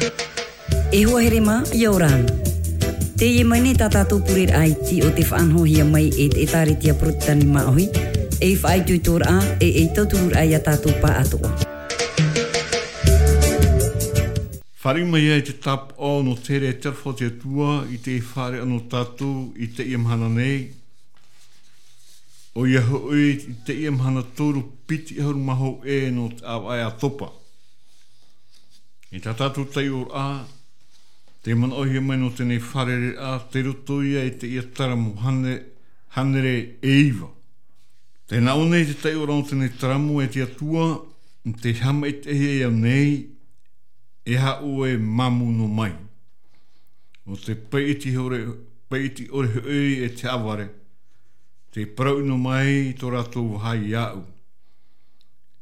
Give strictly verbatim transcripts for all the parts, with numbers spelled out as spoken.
E hoa here mā, ʻia ora na. Teie mai nei tā tātou pureraʻa iti o te faʻanahohia mai e te ʻĒtārētia Porotetani Māʻohi, ei faʻaitoitoraʻa, e ei tauturuʻraʻa ia tātou pāʻatoʻa. Fāriʻi mai ai te tāpaʻo nō te here e te aroha o te Atua i te fārereiraʻa nō tātou i teie mahana nei. ʻOia hoʻi i teie mahana toru piti ʻahuru mā hōʻē nō te ʻāvaʻe ʻa Topa. E tā tātou taiʻoraʻa, te manaʻohia mai nō teie fārereiraʻa, tei roto ia i teie taramo hāne-, hānere e iva. Tē nā ʻō nei te taiʻoraʻa o teie taramo, e te Atua, tē haʻamaitaʻihia au nei, e aha ʻoe e māmū noa mai. ʻO te paiʻiti ʻore, paiʻiti ʻore hoʻi e te haʻavare, tē parau ʻino mai tō rātou vāhi iāʻu.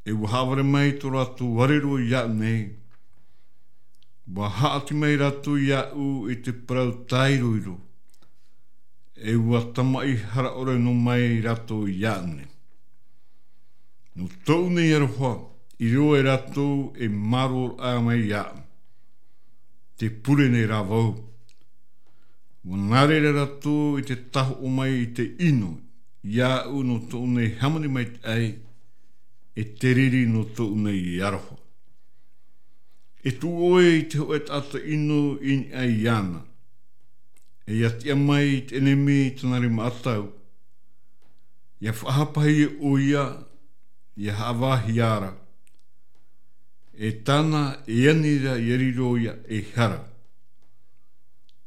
E ʻua haʻavare mai tō rātou arero iāʻu nei. ʻUa haʻati mai rātou iāʻu i te parau tāiroiro. E ʻua tamaʻi hara ʻore noa mai rātou iāʻu nei. Nō tōʻu nei aroha, i riro ai rātou e mārōraʻa mai iāʻu. Tē pure nei rā vau. ʻUa nā reira rātou i te tahoʻo mai i te ʻino, iāʻu nō tōʻu nei hāmani maitaʻi, e te riri nō tōʻu nei aroha. E tuʻu ʻoe i te hōʻē taʻata ʻino i niʻa iāna. E ʻia tiʻa mai i te ʻenemi i tāna rima ʻatau. ʻIa faʻahapahia ʻoia, ʻia haʻavāhia ra. E tāna, e ani ra, ʻia riro ia ei hara.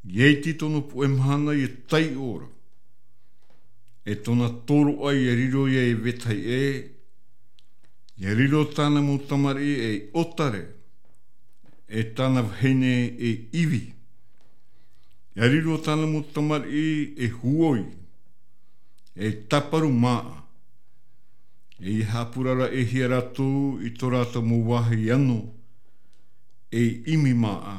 ʻIa iti tōna puʻe mahana ʻia taiʻo ra. E tōna tōroʻa ʻia riro ia ei vetahi ʻē. ʻIa riro tāna mau tamariʻi ei ʻōtare. E tāna vahine ei ivi. ʻIa riro tāna mau tamariʻi ei huoi. Ei tāparu māʻa. E ʻia haʻapuraraʻahia rātou i tō rātou mau vāhi ano, ei ʻimi māʻa.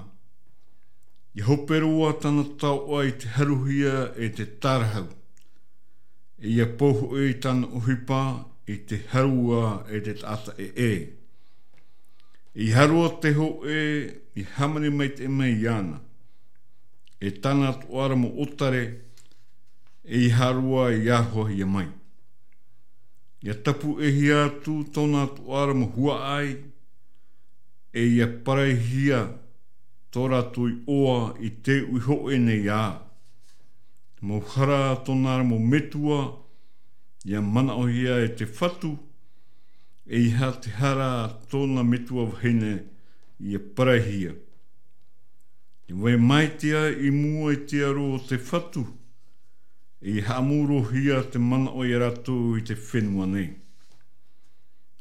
ʻIa hope roa tāna taoʻa i te haruhia e te tārahu. E ʻia pou hoʻi tāna ʻohipa i te harua e te taʻata ʻē. E ʻia haere te hōʻē i hāmani maitaʻi mai iāna. E tāna atoʻa ra mau ʻōtare, e ʻia haere i arohahia mai. ʻIa tāpuʻehia atu tōna atoʻa ra mau huaʻai, e ʻia paraihia tō rātou iʻoa i te uʻi hōʻē nei ā. Mau hara tōna ra mau metua, ʻia manaʻohia e te Fatu, e ʻeiaha te hara tōna metua vahine ʻia paraihia. ʻIa vai mai te ā i mua i te aro o te Fatu, e ʻia haʻamauruhia te manaʻo ia rātou i te fenua nei.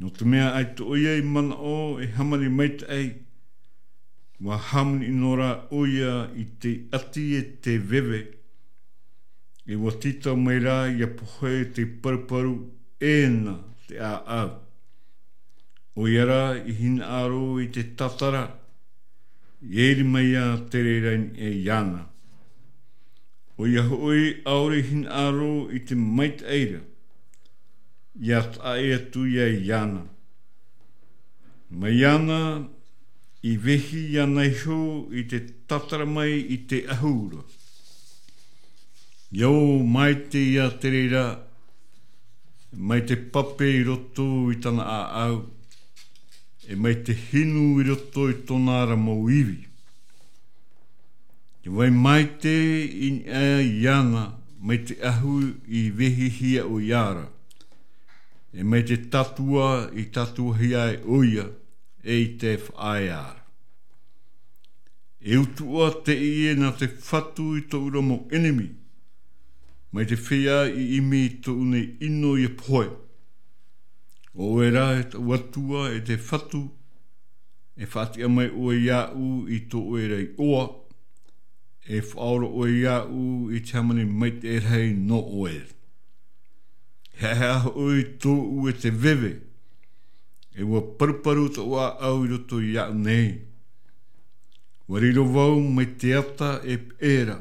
Nō te mea ʻaita ʻoia i manaʻo e hāmani maitaʻi, ʻua hāmani ʻino ra ʻoia i te ʻati e te veve, e ʻua tītau mai ra ʻia pohe te paruparu ʻē na te ʻāʻau. ʻOia ra i hinaʻaro i te tātara, ʻia iri mai ā te reira i niʻa iāna. ʻOia hoʻi ʻaore i hinaʻaro i te maitaʻi ra, ʻia taʻa ʻē atu ia iāna. Mai iāna i vehi iāna iho i te tātara mai i te ʻahu ra. ʻIa ō maitaʻi ia te reira, mai te pape i roto i tāna ʻāʻau, e mai te hinu i roto i tōna ra mau ivi. ʻIa vai maitaʻi i niʻa iāna, mai te ʻahu i vehihia ʻoia ra, e mai te tātua i tātuahia ai ʻoia, e i te faʻaea ra. E utuʻa teie nā te Fatu i tōʻu ra mau ʻenemi, mai te feiā i ʻimi i tōʻu nei ʻino ʻia pohe. ʻO ʻoe rā e taʻu Atua e te Fatu, e faʻatiʻa mai ʻoe iāʻu i tō ʻoe ra iʻoa, e faʻaora ʻoe iāʻu i te hāmani maitaʻi rahi nō ʻoe. Heʻeheʻa hoʻi tōʻu e te veve, e ʻua paruparu tōʻu ʻāʻau i roto iāʻu nei. ʻUa riro vau mai te ata e peʻe ra,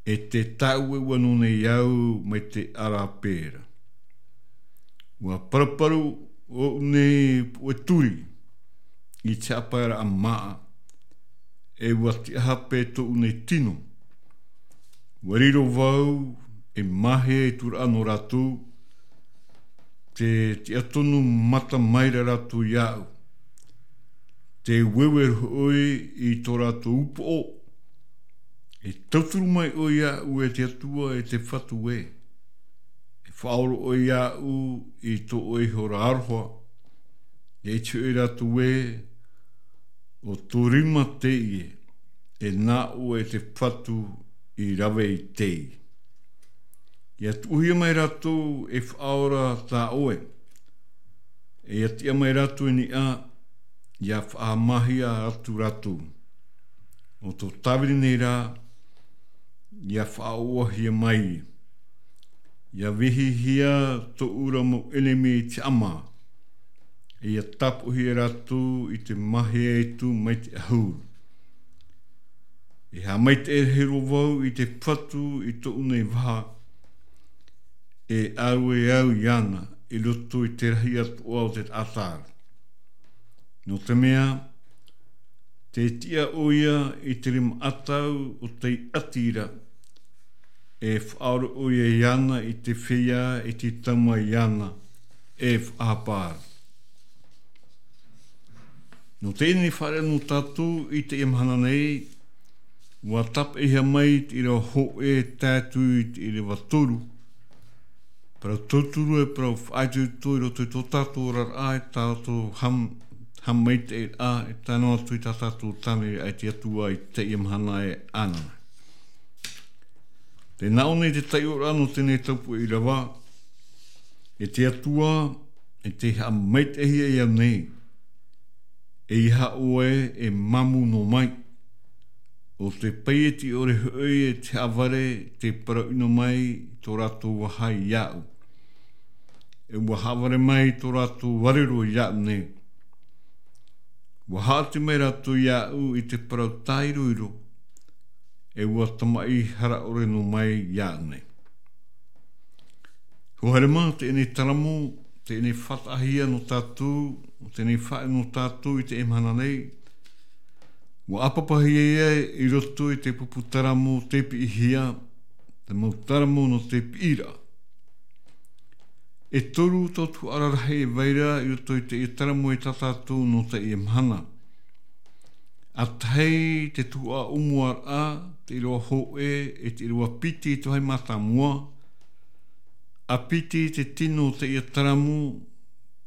e te tāueueue nō nei au mai te ʻarape ra. ʻUa paruparu ʻoʻu nei puʻe turi i te haʻapaeraʻa māʻa, e ua tiʻa hape tōʻu nei tino. Ua riro vau e māhia i tūraʻa nō rātou, te tiʻa tonu mata mai ra rātou iāʻu. Te ueue roa ʻoe i tō rātou upoʻo, e tauturu mai ʻoe iāʻu e te Atua, e te Fatu ē. E faʻaora ʻoe iāʻu i tō ʻoe ihora aroha, e te hoʻi rātou ē, ʻo tō rima teie, e nā ʻoe te Fatu i rave i teie. ʻIa tuʻuhia mai rātou e faʻaora tā ʻoe, e ʻia tiʻa mai rātou i niʻa, ʻia faʻahaʻamāhia atu rātou. ʻO tō tāvini nei rā, ʻia faʻaʻoʻohia mai. ʻIa vehihia tōʻu ra mau ʻenemi i te ʻama, e ʻia tāpoʻohia rātou i te māhia atu mai te ʻahuru. E haʻamaitaʻi rahi roa vau i te Fatu i tōʻu nei vaha, e ʻārue au iāna i roto i te rahi atoʻa o te taʻata ra. Nō te mea, te tiʻa ʻoia i te rima ʻatau o tei ʻati ra, e faʻaora ʻoia iāna i te feiā e te taumaiā iāna, e faʻahapa ra. Nō teie nei fārereiraʻa nō tātou i teie mahana nei, ua tāpeʻahia mai te ʻīrava hōʻē tae atu i te ʻīrava toru. Parau tauturu e parau faʻaitoito i roto i tō tātou oraraʻa, e tā tātou haʻam-, haʻamaitaʻiraʻa, e tae noa atu i tā tātou tāviniraʻa i te Atua i teie mahana e ānānā. Tē nā ʻō nei te taiʻoraʻa nō teie nei taupō ʻīrava, e te Atua, e tē haʻamaitaʻihia au nei, ʻeiaha ʻoe e māmū noa mai. ʻO te paieti ʻore hoʻi e te haʻavare tei parau ʻino mai tō rātou vaha iāʻu. E ua haʻavare mai tō rātou varero iāʻu nei. Ua haʻati mai rātou iāʻu i te parau tāiroiro, e ua tamaʻi hara ʻore noa mai iāʻu nei. Hoa haere mā, teie nei taramo, teie nei faʻataʻahia nō tātou, teie nei faʻaʻī nō tātou i teie mahana nei. Ua ʻāpapahia ia i roto i te pupu taramo tei piʻihia, te mau taramo nō te piʻiraʻa. E toru tau tuhaʻa rarahi e vai ra i roto i teie taramo e tā tātou nō teie mahana. ʻA tahi te tuhaʻa ʻōmuaraʻa, te ʻīrava hōʻē, e te ʻīrava piti i te vāhi mātāmua. ʻA piti te tino o teie taramo,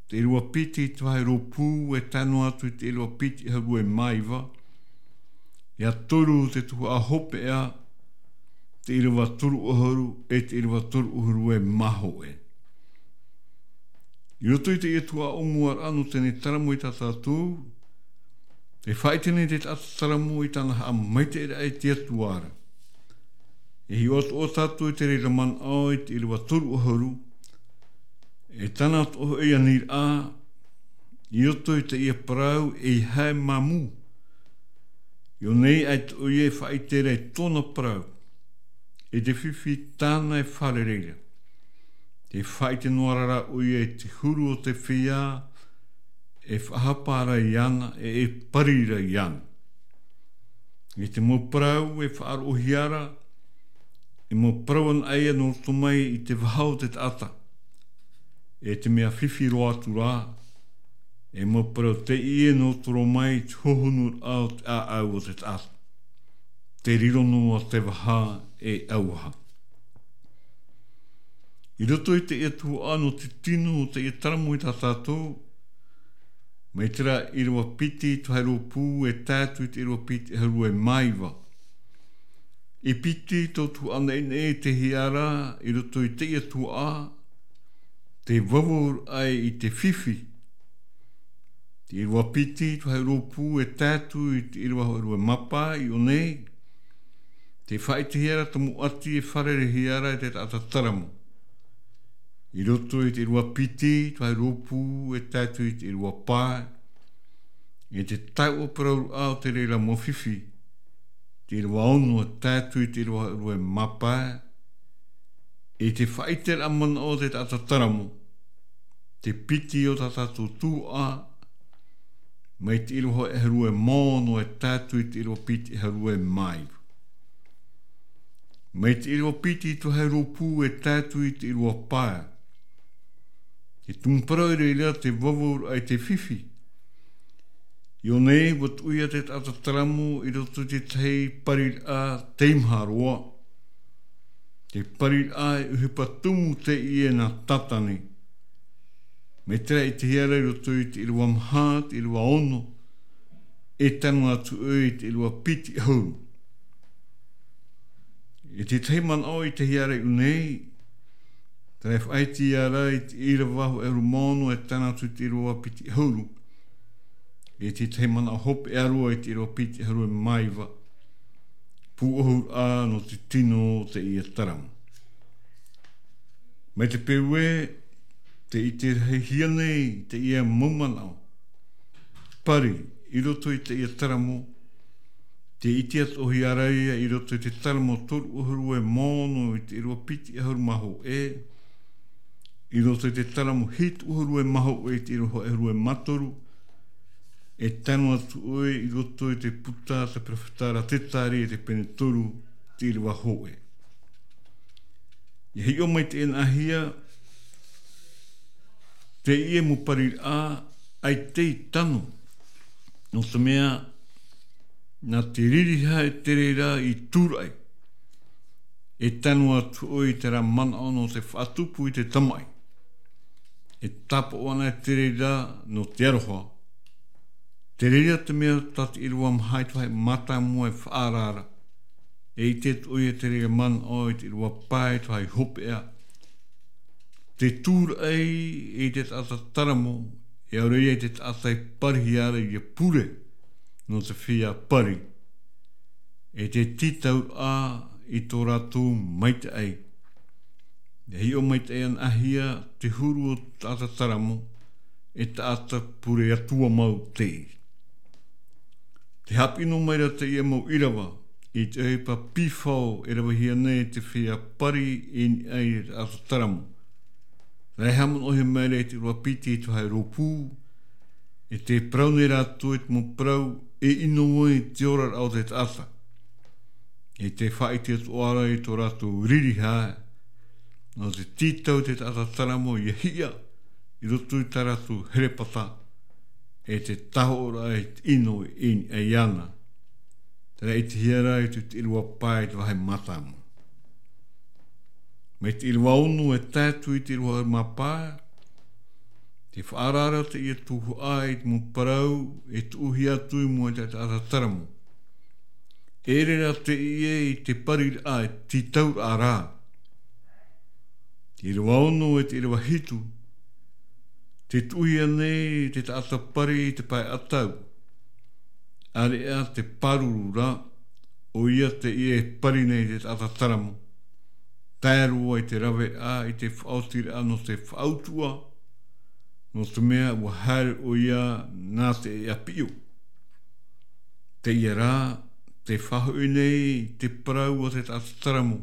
te ʻīrava piti i te vāhi rōpū, e tae noa atu i te ʻīrava piti ʻahuru e mā iva. ʻIa toru te tuhaʻa hopeʻa, te ʻīrava toru ʻahuru, e te ʻīrava toru ʻahuru e mā hōʻē. I roto i teie tuhaʻa ʻōmuaraʻa nō teie nei taramo i tā tātou, tē faʻaʻite nei te taʻata taramo i tāna haʻamaitaʻiraʻa i te Atua ra. E hiʻo atoʻa tātou i te reira manaʻo i te ʻīrava toru ʻahuru, e tāna atoʻa hoʻi aniraʻa, i roto i teie parau ʻeiaha e māmū. I ʻō nei ʻaita ʻoia e faʻaʻite ra i tōna parau, e te fifi tāna e fārerei ra. Tē faʻaʻite noa ra rā ʻoia i te huru o te feiā, e faʻahapa ra iāna, e, e pari ra iāna. I te mau parau e faʻaroʻohia ra, e mau parau anaʻe nō roto mai i te vaha o te taʻata. E te mea fifi roa atu rā, e mau parau teie nō roto mai i te hohonuraʻa o te ʻāʻau o te taʻata. Tē riro noa te vaha e auaha. I roto i teie tuhaʻa nō te tino o teie taramo i tā tātou, mai terā ʻīrava piti i te vāhi rōpū e tae atu i te ʻīrava piti ʻahuru e mā iva. E piti tau tuhaʻa naʻinaʻi e tae ra i roto i teie tuhaʻa, tē vavauraʻa i te fifi. Te ʻīrava piti i te vāhi rōpū e tae atu i te ʻīrava ʻahuru e mā pae i ʻō nei. Tē faʻaʻitehia ra te mau ʻati e fārereihia ra e te taʻata taramo. I roto i te ʻīrava piti i te vāhi rōpū e tae atu i te ʻīrava pae. E te taoʻa parauraʻa o te reira mau fifi. Te ʻīrava ono e tae atu i te ʻīrava ʻahuru e mā pae. E te faʻaʻiteraʻa manaʻo o te taʻata taramo, te piti o tā tātou tuhaʻa, Mai te ʻīrava hōʻē ʻahuru e ono e tae atu i te ʻīrava piti ʻahuru e mā iva. Mai te ʻīrava piti i te vāhi rōpū e tae atu i te ʻīrava pae. Te tumu parau i reira te vavauraʻa i te fifi. I ʻō nei, ʻua tuʻu hia te taʻata taramo i roto i te tahi pariraʻa teimaha roa. Te pariraʻa e ʻohipa tumu teie nā Tātane. Mai terā i ʻitehia ra i roto i te ʻīrava maha, te ʻīrava ono, e tano atu ʻoe i te ʻīrava piti ʻahuru. I te tahi manaʻo i ʻitehia ra i ʻō nei, terā e faʻaʻitehia ra i te ʻīrava hōʻē ʻahuru mā ono e tano atu i te ʻīrava piti ʻahuru. I te tahi manaʻo hopeʻa roa i te ʻīrava piti ʻahuru e mā iva. Pūʻohuraʻa nō te tino o teie taramo. Mai te peu ē, tē ʻite rahi hia nei teie mau manaʻo. Pari, i roto i teie taramo, tē ʻite atoʻa hia ra ïa i roto i te taramo toru ʻahuru e mā ono i te ʻīrava piti ʻahuru mā hōʻē, i roto i te taramo hitu ʻahuru e mā hōʻē i te ʻīrava hōʻē ʻahuru e mā toru, e tano atu ʻoe i roto i te puta a te perofeta ra Zekaria i te pene toru, te ʻīrava hōʻē. ʻIa hiʻo maitaʻi anaʻe hia teie mau pariraʻa, ʻaita i tano, nō te mea, nā te ririha e tere ra i tūraʻi. E tano atu ʻoe i terā manaʻo nō te faʻatupu i te tamaʻi. E tāpaʻo anaʻe te reira nō te aroha. Te reira te mea tā te ʻīrava maha i te vāhi mātāmua e faʻaara ra. E ʻite atoʻa ïa te reira manaʻo i te ʻīrava pae i te vāhi hopeʻa. Te tūraʻi i te taʻata taramo, e ʻaore ïa i te taʻata e parihia ra ʻia pure nō te feiā pari. E te tītauraʻa i tō rātou maitaʻi. E hiʻo maitaʻi anaʻe hia te huru o te taʻata taramo, e taʻata pure atua mau teie. Tē haʻapiʻi noa mai ra teie mau ʻīrava i te ʻohipa pīhao e ravehia nei te feiā pari i niʻa i te taʻata taramo. Terā e haʻamanaʻohia mai ra i te ʻīrava piti i te vāhi rōpū, e tē parau nei rātou i te mau parau e ʻino ai te oraraʻa o te taʻata. E tē faʻaʻite atoʻa ra i tō rātou ririha, nō te tītau i te taʻata taramo ʻia hiʻa i roto i tā rātou herepata, e te tahoʻoraʻa i te ʻino i niʻa iāna. Terā e ʻitehia ra i te ʻīrava pae i te vāhi mātāmua. Mai te ʻīrava ono e tae atu i te ʻīrava ʻahuru mā pae, tē faʻaara ra teie tuhaʻa i te mau parau e tuʻuhia atu i mua i te taʻata taramo. E ʻere rā teie i te pariraʻa, e te tītauraʻa rā. Te ʻīrava ono e te ʻīrava hitu, tē tuʻuhia nei te taʻata pari i te pae ʻatau. ʻAreʻa te pāruru ra, ʻoia teie e pari nei te taʻata taramo. Tae roa i te raveraʻa, i te faʻaotiraʻa nō te faʻautuʻa, nō te mea ʻua haere ʻoia nā te ʻēʻa piʻo. Teie rā, tē faʻahoʻi nei te parau a te taʻata taramo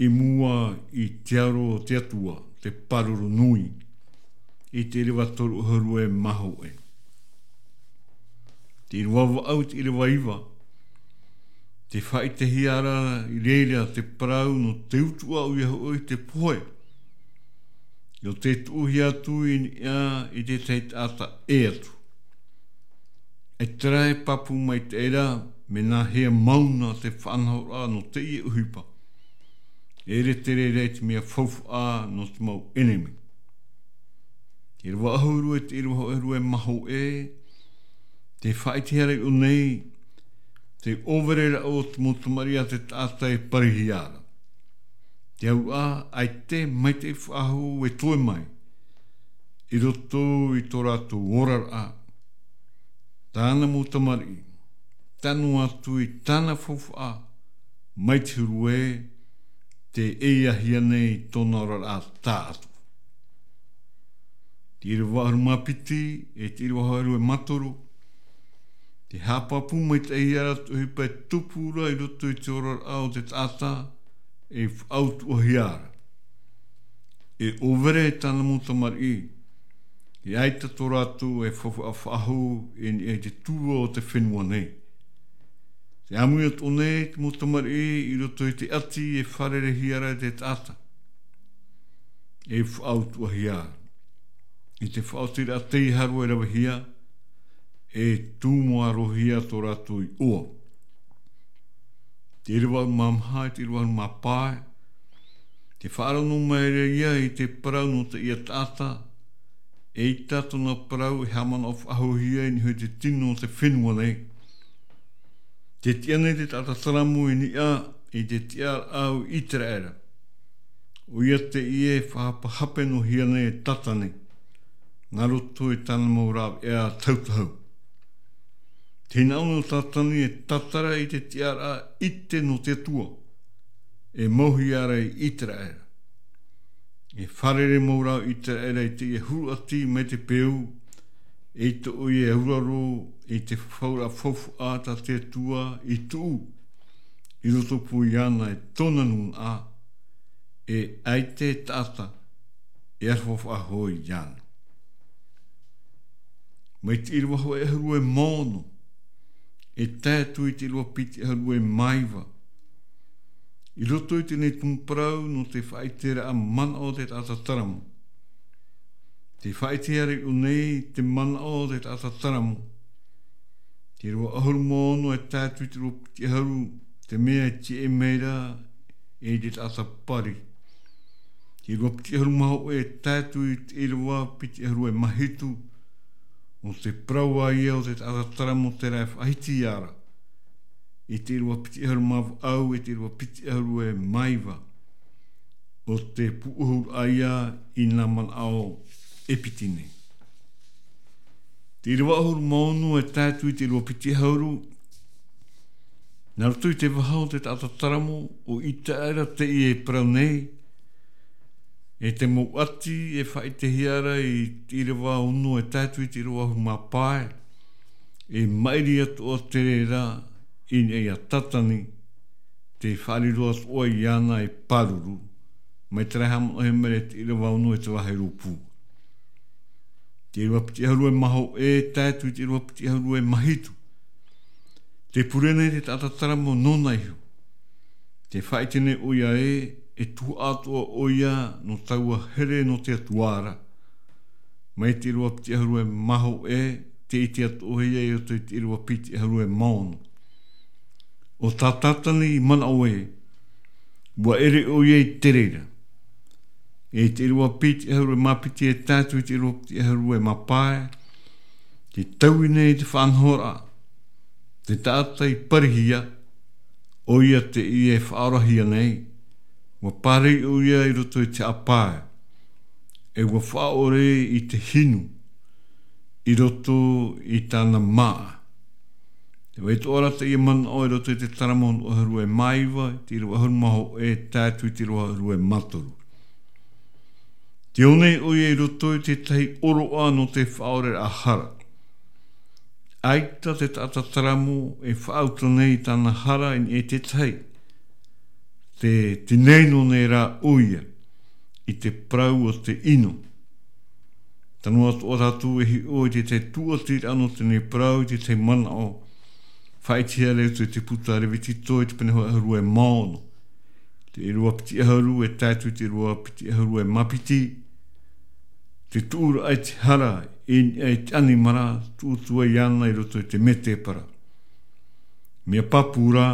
i mua i te aro o te Atua, te pāruru nui, i te ʻīrava toru ʻahuru e mā hōʻē. Te ʻīrava vaʻu, te ʻīrava iva, tē faʻaʻitehia ra i reira te parau nō te utuʻa, ʻoia hoʻi te pohe. ʻIa tē tuʻuhia atu i niʻa i te tahi taʻata ʻē atu. E terā e pāpū maitaʻi ra, mea nāhea mau na te faʻanahoraʻa nō teie ʻohipa. E ʻere te reira i te mea faufaʻa nō te mau ʻenemi. Te ʻīrava ʻahuru e te ʻīrava hōʻē ʻahuru e mā hōʻē, tē faʻaʻitehia ra i ʻō nei, te ʻōvereraʻa o te mau tamariʻi a te taʻata e parihia ra. Te auraʻa, ʻaita e maitaʻi faʻahou e toe mai i roto i tō rātou oraraʻa. Tāna mau tamariʻi, tano atu i tāna faufaʻa, mai te huru ē, tē ʻeiahia nei tōna oraraʻa taʻatoʻa. Te ʻīrava ʻahuru mā piti, e te ʻīrava hōʻē ʻahuru e mā toru, tē haʻapāpū maitaʻihia ra te ʻohipa e tupu ra i roto i te oraraʻa o te taʻata, e faʻautuʻahia ra. E ʻōvere tāna mau tamariʻi, ʻAita tō rātou e faufaʻa faʻahou i niʻa i te tua o te fenua nei. Te ʻāmui atoʻa nei te mau tamariʻi i roto i te ʻati e fārereihia ra e te taʻata. E faʻautuʻahia ra. I te faʻaotiraʻa tei haro e ravehia, e tūmārohia tō rātou iʻoa. Te ʻīrava ʻahuru mā maha, te ʻīrava ʻahuru mā pae, te faʻaroʻo mai ra ia i te parau nō teie taʻata, ʻaita tōna parau e haʻamanaʻo faʻahouhia i niʻa i te tino o te fenua nei. Te tiʻa nei te taʻata taramo i niʻa i te tiʻaraʻa o ʻĪteraʻera. ʻOia teie e faʻahapehape noa hia nei e Tatani, nā roto i tāna mau rāveʻa tauturu. Te hinaʻaro nō Tatani e tātara i te tiʻaraʻa ʻite nō te Atua, e mauhia ra i ʻĪteraʻera. E fārerei mau ra ʻĪteraʻera i teie huru ʻati mai te peu, ʻaita ʻoia e auraro i te fafauraʻa faufaʻa tā te Atua i tuʻu, i roto pū iāna e tōna nūnaʻa, e ʻaita e taʻata e aroha faʻahou iāna. Mai te ʻīrava hōʻē ʻahuru e mā ono, e tae atu i te ʻīrava piti ʻahuru e mā iva. I roto i teie tumu parau nō te faʻaʻiteraʻa manaʻo o te taʻata taramo. Tē faʻaʻitehia ra iʻō nei te manaʻo o te taʻata taramo. Te ʻīrava ʻahuru mā ono e tae atu i te ʻīrava piti ʻahuru, te mea e tiʻa mai ra e te taʻata pari. Te ʻīrava piti ʻahuru mā hōʻē e tae atu i te ʻīrava piti ʻahuru e mā hitu, ʻo te parau ïa o te taʻata taramo terā e faʻahiti ra i te ʻīrava piti ʻahuru mā vaʻu, i te ʻīrava piti ʻahuru e mā iva, ʻo te pūʻohuraʻa ïa i nā manaʻo e piti nei. Te ʻīrava ʻahuru mā ono e tae atu i te ʻīrava piti ʻahuru, nā roto i te vaha o te taʻata taramo, ʻo ʻĪteraʻera teie e parau nei, e te mau ʻati e faʻaʻitehia ra i te ʻīrava ono e tae atu i te ʻīrava ʻahuru mā pae, e maʻiri atoʻa te reira i niʻa iā Tatani, tē faʻariro atoʻa iāna e pāruru, mai terā e haʻamanaʻohia mai ra i te ʻīrava ono e te vahi rōpū. Te ʻīrava piti ʻahuru e mā hōʻē e tae atu i te ʻīrava piti ʻahuru e mā hitu. Tē pure nei te taʻata taramo nōna iho. Tē faʻaʻite nei ʻoia ē, e tuhaʻa atoʻa ʻoia nō taua here nō te Atua ra. Mai te ʻīrava piti ʻahuru e mā hōʻē, tē ʻite atoʻahia i roto i te ʻīrava piti ʻahuru e mā ono. ʻO tā Tatani i manaʻo ē, ʻua ʻere ʻoia i te reira. E te ʻīrava piti ʻahuru e mā piti e tae atu i te ʻīrava piti ʻahuru e mā pae, tē taui nei te faʻanahoraʻa, te taʻata i parihia, ʻoia teie e faʻaorahia nei, ʻua pārahi ʻoia i roto i te haʻapae, e ʻua faʻaʻore i te hinu, i roto i tāna māʻa. Tē vai atoʻa ra teie manaʻo i roto i te taramo ʻahuru e mā iva, te ʻīrava ʻahuru mā hōʻē, tae atu i te ʻīrava ʻahuru e mā toru. Tē ō nei ʻoia i roto i te tahi ʻōroʻa nō te faʻaʻoreraʻa hara. ʻAita te taʻata taramo e faʻauta nei i tāna hara i niʻa i te tahi. Tē, tē naino nei rā ʻoia i te parau o te ʻino. Tano atoʻa tātou e hiʻo i te tahi tūʻatiraʻa nō teie parau, i te tahi manaʻo faʻaʻitehia ra i te puta Levitiko i te pene ʻahuru e mā ono. Te ʻīrava piti ʻahuru e tae atu i te ʻīrava piti ʻahuru e mā piti. Te tuʻuraʻa i te hara i niʻa i te ʻanimara, tuʻu atu ai iāna i roto i te mētēpara. Mea pāpū rā,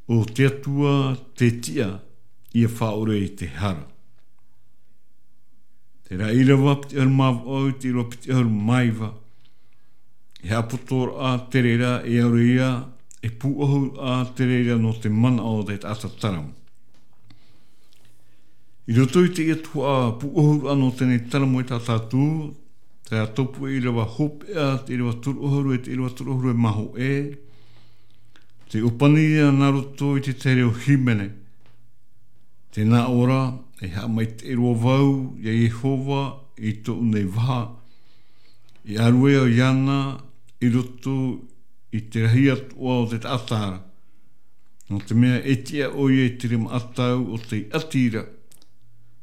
ʻo te Atua tē tiʻa ʻia faʻaʻore i te hara. Terā ʻīrava piti ʻahuru mā vaʻu i te ʻīrava piti ʻahuru mā iva. E haʻapotoraʻa te reira, e ʻaore ia, e pūʻohuraʻa te reira nō te manaʻo o te taʻata taramo. I roto i teie tuhaʻa pūʻohuraʻa nō teie taramo e tā tātou, terā tupu ʻīrava hopeʻa, te ʻīrava toru ʻahuru e te ʻīrava toru ʻahuru e mā hōʻē, tē ʻōpani ïa nā roto i te reo hīmene. Tē nā ʻō ra, e haʻamaitaʻi roa vau iā Iehova i tōʻu nei vaha, e ʻārue au iāna i roto i te rahi atoʻa o te taʻata ra. Nō te mea e tiʻa ʻoia i te rima ʻatau o tei ʻati ra.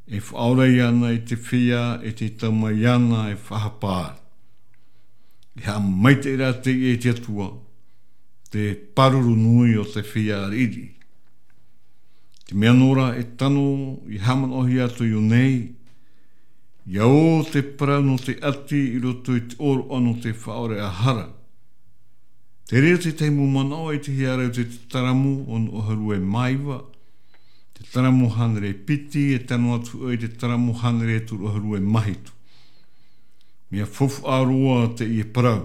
E faʻaora iāna i te feiā e te tau mai iāna e faʻahapa ra. E haʻamaitaʻi rā teie i te Atua, te pāruru nui o te feiā riʻiriʻi. Te mea nō rā e tano i haʻamanaʻohia atu i ʻō nei, ʻia ō te parau nō te ʻati i roto i te ʻōroʻa nō te faʻaʻoreʻa hara. Te reira tētahi mau manaʻo i te hiʻoraʻa i te Taramu ono ʻahuru e mā iva, te Taramu hānere piti e tano atu i te Taramu hānere toru ʻahuru e mā hitu. Mea faufaʻa roa teie parau.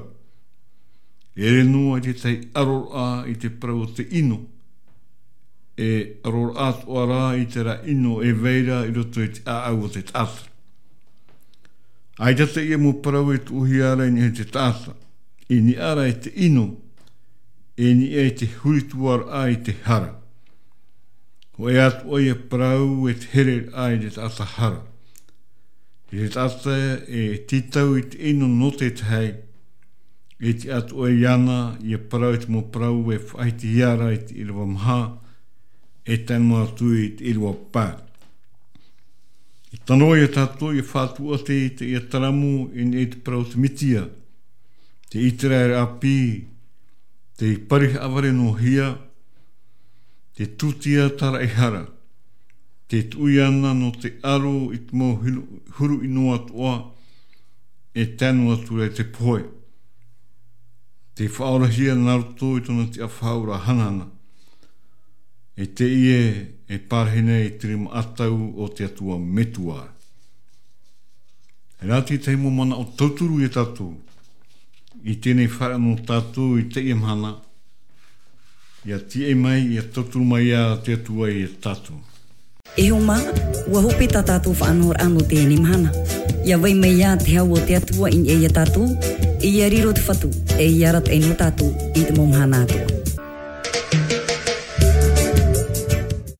E ʻere noa i tētahi ʻaroraʻa i te parau o te ʻino. E ʻaroraʻa atoʻa rā i terā ʻino e vai ra i roto i te ʻāʻau o te taʻata. ʻAita teie mau parau e tuʻuhia ra i niʻa i te taʻata. I niʻa ra i te ʻino, e niʻa i te hurituaraʻa i te hara. Hōʻē atoʻa ia parau e te hereraʻa i te taʻata hara. I te taʻata e tītau i te ʻino nō te tahi, e tiʻa atoʻa iāna ia parau i te mau parau e faʻahitihia ra i te ʻīrava maha, e tae noa atu i te ʻīrava pae. E tano ia tātou ʻia faʻatuʻu atu i teie Taramu i niʻa i te parau o te Mesia, te ʻĪteraʻera ʻāpī, te pari haʻavare noa hia, te tūtia tāraʻehara, te tuʻu iāna nō te aro i te mau huru, huru ʻino atoʻa, e tae noa atu ra i te pohe. Te faʻaorahia nā roto i tōna tiʻafaʻaora hanahana. E teie e parahi nei i te rima ʻatau o te Atua Metua. E rā tētahi mau manaʻo tauturu ia tātou. I teie nei fāreʻa nō tātou i teie mahana. ʻIa tīaʻi mai, ʻia tauturu mai ia te Atua ia tātou. E hoa mā, ʻua hope tā tātou faʻanahoraʻa nō teie mahana. ʻIa vai mai ia te hau o te Atua i niʻa ia tātou, e ʻia riro te Fatu, e ʻia arataʻi nō tātou i te mau mahana atoʻa.